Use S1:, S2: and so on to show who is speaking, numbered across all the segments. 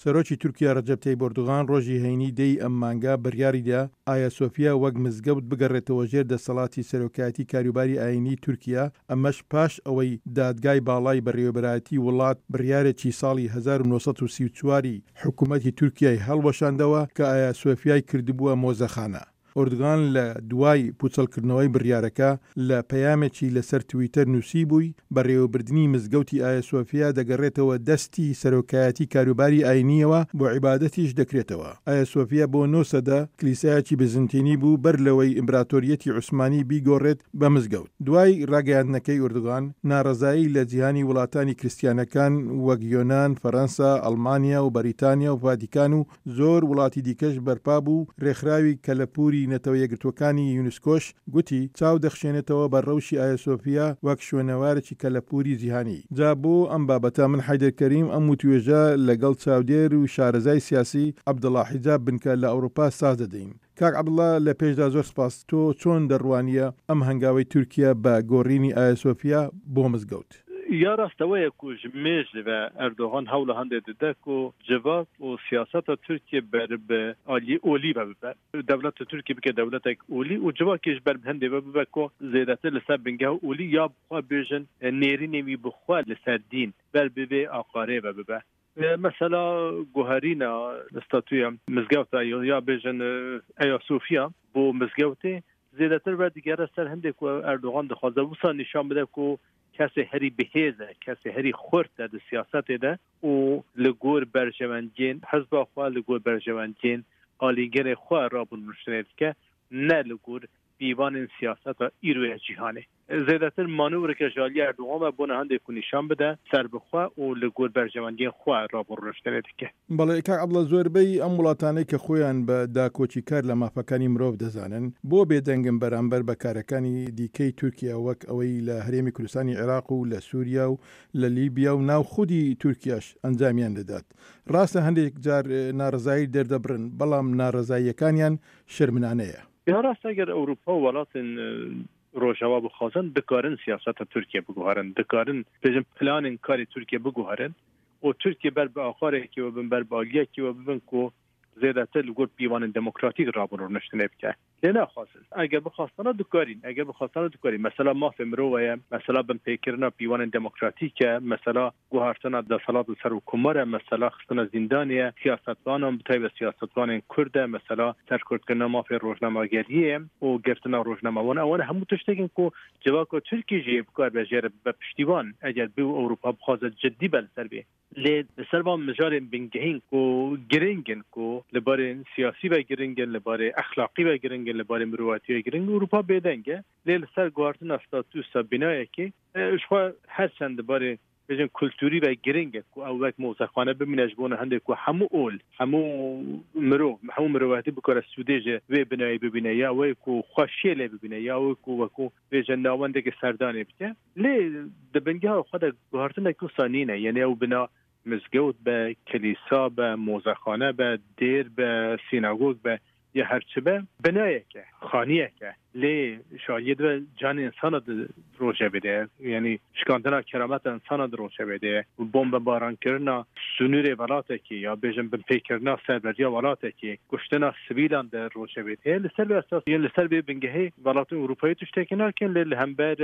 S1: سەرۆکی تورکیا رەجەب تەیب ئۆردوغان رۆژی هەینی دە ی ئەم مانگە بڕیاریدا ئایا سۆفیا وەک مزگەوت بگەڕێتەوە ژێر دەسەڵاتی سەرۆکایەتی کاروباری ئایینی تورکیا، ئەمەش پاش ئەوەی دادگای باڵای بەڕێوەبەرایەتی وڵات بڕیارێکی ساڵی 1934 ی حکومەتی تورکیای هەڵوەشاندەوە کە ئایا سۆفیای کردبووە مۆزەخانە. ئۆردغان لە دوای پوچەڵکردنەوەی بڕیارەکە لە پەیامێکی لەسەر تویتەر نووسیبووی، بەڕێوەبردنی مزگەوتی ئایا سۆفیا دەگەڕێتەوە دەستی سەرۆکایەتی کاروباری ئاینییەوە، بۆ عیبادەتیش دەکرێتەوە. ئایا سۆفیا بۆ نۆ سەدە کلیسایەکی بزنتینی بوو بەر لەوەی ئیمبراتۆریەتی عوسمانی بیگۆڕێت بە مزگەوت. دوای ڕاگەیاندنەکەی ئوردوغان، ناڕەزایی لە جیهانی وڵاتانی کریستیانەکان وەک یۆنان، فەرەنسا، ئەڵمانیا و بەریتانیا و ڤاتیکان و زۆر وڵاتی دیکەش بەرپا بوو، رێکخراوی کەلەپووری نەتەوە یەکگرتووەکانی یونسکۆش گوتی، چاو دەخشێنێتەوە بە رەوشی ئایاسۆفیا وەک شوێنەوارێکی کەلەپووری جیهانی. جا بۆ ئەم بابەتە من حەیدەر کەریم ئەم وتوێژە لەگەڵ چاودێر و شارەزای سیاسی عەبدوڵا حیجاب بنکە لە ئەوروپا ساز دەدەین. کاک عەبدوڵا لە پێشدا زۆر سپاس، تۆ چۆن دەڕوانییە ئەم هەنگاوەی تورکیە بە گۆڕینی ئایاسۆفیا بۆ مزگەوت؟
S2: یا rast ew ye ku ji mêj ve Erdogan hewla hindê dide ku civak û siyaseta Tirkiyê ber bi aliyê olî ve bibe. Dewleta Tirkiyê bike dewletek olî û civakê ji ber bi hindê ve bibe ku zêdetir li ser bingeha olî ya bi xwe bêjin nêrînên wî bi xwe li ser dîn ber bi vê aqarê ve bibe. Mesela guherîna statûya mizgewta ya bêjin Eya Sofiya bo mizgewtê zêdetir vedigere ser hindê ku Erdogan dixwaze wisa nîşan bide ku kesê herî bihêz e, kesê herî xurt e di siyasetê de û li gor berjewendiyên hizba xwe, li gor berjewendiyên alîgirê xwe rabûn rûniştinê dike, ne li gor pîvanên siyaseta îro ya cîhanê. Zêdetir manewreke ji aliyê Erdogan ve bona hindê ku nîşan bide serbixwe û li gor berjewendiyên xwe rabûn rûniştinê dike.
S1: بەڵێ کاک عەبدوڵا زۆربەی ئەم وڵاتانەی کە خۆیان بە داکۆکیکار لە مافەکانی مرۆڤ دەزانن بۆ بێدەنگن بەرامبەر بە کارەکانی دیکەی تورکیا وەک ئەوەی لە هەرێمی کوردستانی عێراق و لە سوریا و لە لیبیا و ناو خودی تورکیاش ئەنجامیان دەدات ڕاستە هەندێک جار ناڕەزایی دەردەبڕن بەڵام ناڕەزاییەکانیان شەرمنانەیە.
S2: یا ڕاستە گەر ئەوروپا و وڵاتên ڕۆژاوا بخوازن دکارن سیاسەتا تورکیە بگوهرن، دکارن بێژن پلانên karê تورکیە بگوهرن û تورکیە بەر bi aqarekî we bin ber bi aliyekî we bibin ku zêdetir li gor pîvanên demokratîk rabûn rûniştinê bike. Lê naxwazin. Eger bixwastana dikarîn, eger bixwastana dikarîn. Mesela mafê mirove ye, mesela binpêkirina pîvanên demokratîk e, mesela guhartina deselat li serokkomar e, mesela xistina zîndanê ye, siyasetvanan bi taybet siyasetvanên Kurd e, mesela serkurtkirina mafê rojnamegeriyê ye û girtina rojnamevan ewan hemû tiştek in ku civaka Tirkiyê jî bikaribe jê re bibe piştîvan eger bê û Ewropa bixwaze cidî be li ser vê. Lê li ser van mijarên bingehîn ku giring in ku li barê siyasî ve giring in, li barê exlaqî ve giring in, li barê mirovatî ve giring in, Ewropa bêdeng e. Lê li ser guhartina statûsa bînayekê ji xwe her çend li barê bêjin kulturî ve giring e ku ew wek mozexane bimîne ji bona hindê ku hemû ol, hemû mirov, hemû mirovatî bikare sûdê ji vê binayê bibîne ya wê ku xweşiyê lê bibîne ya wê ku wekû bêje navendeke serdanê bike. Lê di bingeha xwe de guhartinek wisa nîne yanî ew bina mizgewt be, kilîsa be, mozexane be, dêr be, sînagog be ya her çi be binayek e, xaniyek e. Lê ji aliyê di ve canê insana di rojevê de ye. Yanî şikandina kerameta insana di rojevê de ye. Bombebarankirina sinûrê welatekî ya bêjin binpêkirina serweriya welatekî, kuştina sivîlan di rojevê de ye. Li ser vê esasê yên li ser vê bingehê welatên Ewropayê tiştekî nakin lê li hember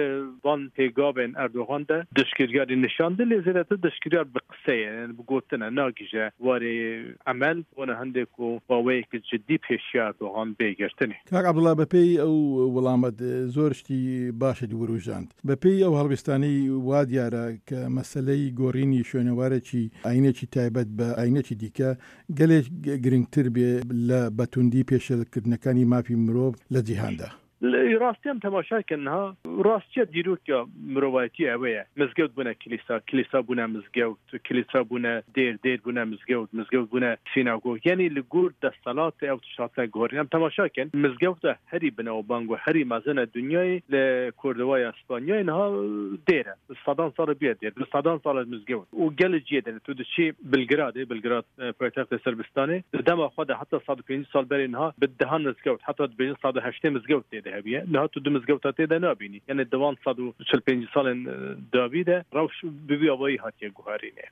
S2: van pêgavên Erdogan de dijkiryarî nîşan dide lê zêdetir dijkiryar bi qise ye yani bi gotin e nagihîje warê emel bona hindê ku baweyeke cidî pêşiya Erdogan bê girtinê.
S1: کاک عەبدوڵا بە پێی ئەو وڵامەت زۆر شتی باشت وروژاند. بە پێی ئەو هەڵوێستانەی وا دیارە کە مەسەلەی گۆڕینی شوێنەوارێکی ئاینێکی تایبەت بە ئاینێکی دیکە گەلێک گرنگتر بێ لە بە توندی پێشێلکردنەکانی مافی مرۆڤ لە جیهاندا.
S2: ڕاستی ئەم تەماشا کە نها ڕاستیە دیرۆکە مرۆڤایەتی ئەوەیە مزگەوت بوونە کلیسا، کلیسا بوونە مزگەوت، کلیسا بوونە دێر، دێر بوونە مزگەوت، مزگەوت بوونە سیناگۆگ یانی لە گۆر دەسەڵاتێ ئەو تشت هاتنە گۆرین. ئەم تەماشا کەن مزگەوتە هەری بناوبانگ و هەری مەزنە دنیای لە کۆردۆوایە سپانیای نها دێرە bi sedan sal bûye dêr bi sedan sal mizgewt û gelê ciyê de tu diçî Belgradê, Belgrad paytextê Sirbistanê di dema xwe de heta 150 sal berê niha bi dehan mizgewt heta dibêjin 180 mizgewt tê de. tê de hebûye. Niha tu du mizgewta tê de nabînî. Yanî di van 145 salên dawî de rewş bi vî awayî hatiye guherînê.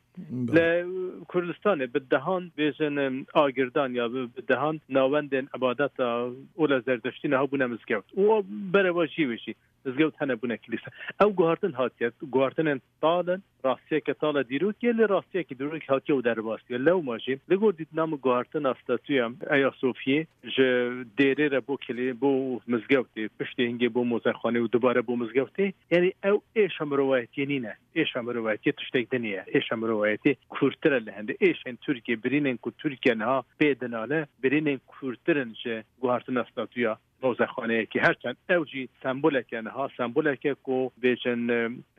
S2: Li Kurdistanê bi dehan bêjin agirdan ya bi dehan navendên îbadeta ola Zerdeştî niha bûne mizgewt û berevajî wê jî mizgewt hene bûne kilîse. Ew guhartin hatiye, guhartinên tal in, rastiyeke tal e dîrokê lê rastiyekî dîrokî hatiye û derbas bûye. Lewma jî li gor dîtina min guhartina statûya Eya Sofiyê ji dêrê re bo kilî bo mizgewtê, piştî hingê bo mozexanê û dubare bo mizgewtê, yanî ew êşa mirovayetiyê nîne. Êşa mirovayetiyê tiştek din ye. Êşa mirovayetiyê kûrtir e li hindê. Êşên Tirkiyê, birînên ku Tirkiye niha pê dinale, birînên kûrtir in ji guhartina statûya mozexaneyekî. Her çend ew jî sembolek e niha, sembolek e ku bêjin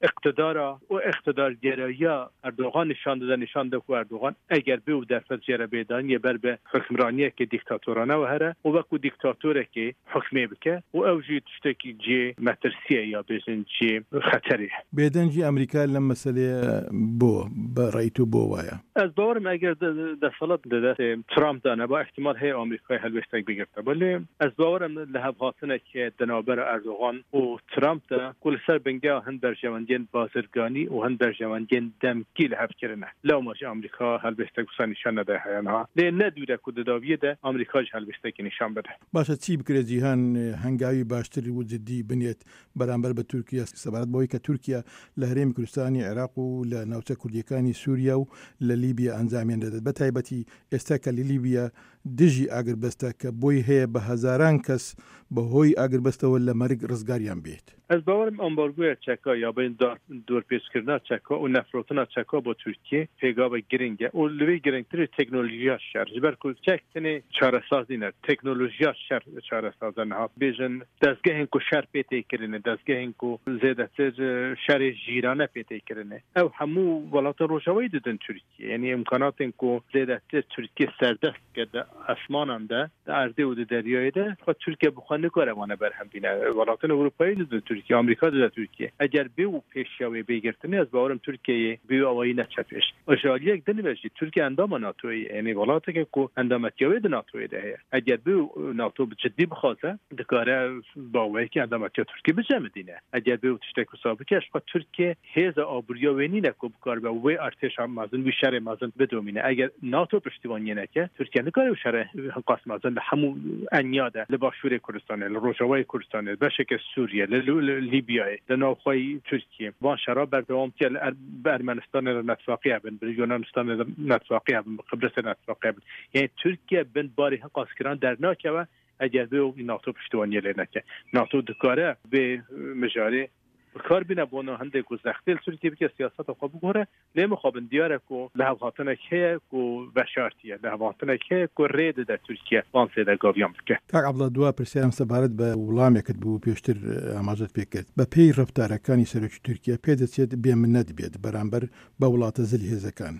S2: îqtidara û îqtidargerayiya Erdogan nîşan dide, nîşan dide ku Erdogan eger bê û derfet jê re bê dayîn yê ber bi hukimraniyekê dîktatorane wehere û wekû dîktatorekê hukmê bike û ew jî tiştekî cihê metirsiyê ya bêjin cihê xeterê ye.
S1: Bêdengî Amerîka lem meseleyê bo bi rey tu bo waye?
S2: Ez bawer im eger desthilat di destê Trump de neba îhtîmal heye Amerîkayê helwêstek bigirteba lê ez bawer im lihevhatinek heye di navbera Erdogan û Trump de ku li ser bingeha hin berjewendiyên bazirganî û hin berjewendiyên demkî li hev kirine. Lewma jî Amerîka helwêstek wisa nîşan nedaye heya niha. Lê ne dûr e ku di dawiyê de Amerîka jî helwêstekê nîşan bide.
S1: Baş e çî bikire cîhan hengawî baştir û cidî binêt beramber bi Tirkiye sebaret bi wê ke Tirkiye li Herêmî Kurdistanî, Iraq û li navçe Kurdiyekani Sûriye û li Lîbya encamên dedet. Bi taybetî êsta ke li Lîbya dijî agirbeste ke boy heye bi hezaran kes bi hoy agirbestewe li merig rizgariyan bêt.
S2: Ez bawer im ambargoya çeka ya bên dorpêçkirina çeka û nefirotina çeka bo Tirkiyê pêgavek giring e û li vê giringtir jî teknolojiya şer. Ji ber ku çek tenê çaresaz nîne, teknolojiya şer çaresaz e. Niha bêjin dezgehên ku şer pê tê kirinê, dezgehên ku zêdetir şerê jîrane pê tê kirinê, ew hemû welatên rojavayî didin Tirkiyê. Yanî îmkanatên ku zêdetir Tirkiye serdest dike di esmanan de, di erdê û di deryayê de, xwe Tirkiye bi xwe nikare wan berhem bîne. Welatên Ewropayê didin Tirkiye, Amerîka dide Tirkiye. Eger bê û pêşiya wê bê girtinê ez bawer im Tirkiyeyê bi wî awayî neçe pêş. Ji aliyek din ve jî Tirkiye endama NATOyê ye. Yanî welateke ku endametiya wê di NATOyê de heye. Eger bê û NATO bi cidî bixwaze dikare bi awayekî endametiya Tirkiye bicemidîne. Eger bê û tiştek wisa bike ji xwe Tirkiye Hêza aboriya wê nîne ku bikaribe wê artêşa mezin, wî şerê mezin bidomîne. Eger NATO piştîvaniyê neke, Tirkiye nikare wî şerê hinqas mezin li hemû eniya de, li Başûrê Kurdistanê, li Rojavayê Kurdistanê, li beşeke Sûriyê, li Lîbyayê, li navxweyî Tirkiyê van şera berdewam bike, li bi Ermenistanê re netfaqî hebin, bi Yunanistanê re netfaqî hebin, bi Qibrisê re netfaqî hebin. Yanî Tirkiye bin barê hinqas giran dernakeve eger vê NATO piştîvaniyê lê neke. NATO dikare vê mijarê Bi kar bîne bona hindê ku zextê li Tirkiyê bike siyaseta xwe biguhere lê mixabin diyar e ku lihevhatinek heye ku veşartiye, lihevhatinek heye ku rê dide Tirkiye van zêdegaviyan bike.
S1: Kak Abdullah dua pirsyarem sebaret be wڵامێکت بوو پێشتر ئاماژەت پێ کرد بە پێی ڕەفتارەکانی سەرۆکی تورکیە پێدەچێت بێ منەت بێت بەرامبەر بە وڵاتە زلهێزەکان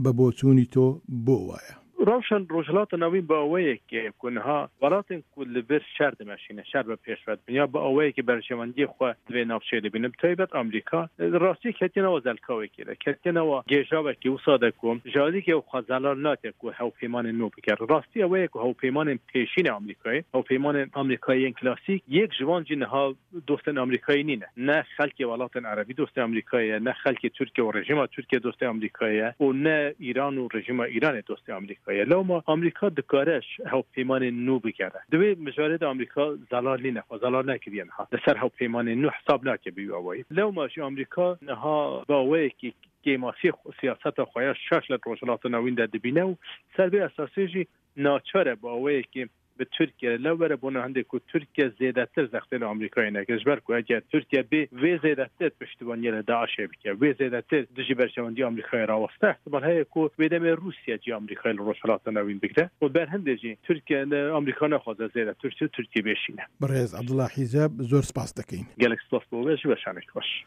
S1: بە بۆچوونی تۆ بۆ وایە؟
S2: Rewşa Rojhilata Navîn bi awayekê ku niha welatên ku li vir şer dimeşîne, şer bi pêş ve dibin ya bi awayekî berjewendiyê xwe di vê navçeyê dibînin, bi taybet Amerîka li rastiyê ketiye nava zelkawekê de, ketiye nava gêjawekî wisa de ku ji aliyekê ew xwe zelal nake ku hewpeymanên nû bike. Rastî ew ye ku hewpeymanên pêşîn ê Amerîkayê, hewpeymanên Amerîkayê yên klasîk yek ji wan jî niha Dostên Amerîkayê nîne. Ne xelkê welatên erebî dostê Amerîkayê ye, ne xelkê Tirkiye û rejîma Tirkiye dostê Amerîkayê ye û ne Îran û rejîma Îranê dostê Amerîkayê ye. Lewma Amerîka dikare ji hevpeymanên nû bigere. Di wê mijarê de Amerîka zelal nîne, xwe zelal nekiriye niha. Li ser hevpeymanên nû hesab nake bi wî awayî. Lewma jî Amerîka niha bi awayekî kêmasiyê siyaseta xwe ya şaş li Rojhilata Navîn de dibîne û ser vê esasê jî naçar e bi awayekî bi Tirkiye re lew were bona hindê ku Tirkiye zêdetir zextê li Amerîkayê neke. Ji ber ku eger Tirkiye bê vê zêdetir piştîvaniyê li DAIŞ'ê bike, wê zêdetir dijî berjewendiya Amerîkayê raweste, îhtimal heye ku wê demê Rûsye cihê Amerîkayê li Rojhilata Navîn bigire û ber hindê jî Tirkiye Amerîka naxwaze zêdetir Tirkiyê bêşîne.
S1: Birêz Abdullah Hîcab zor spas dikeyn.
S2: Gelek spas bo we ji weşanek xweş.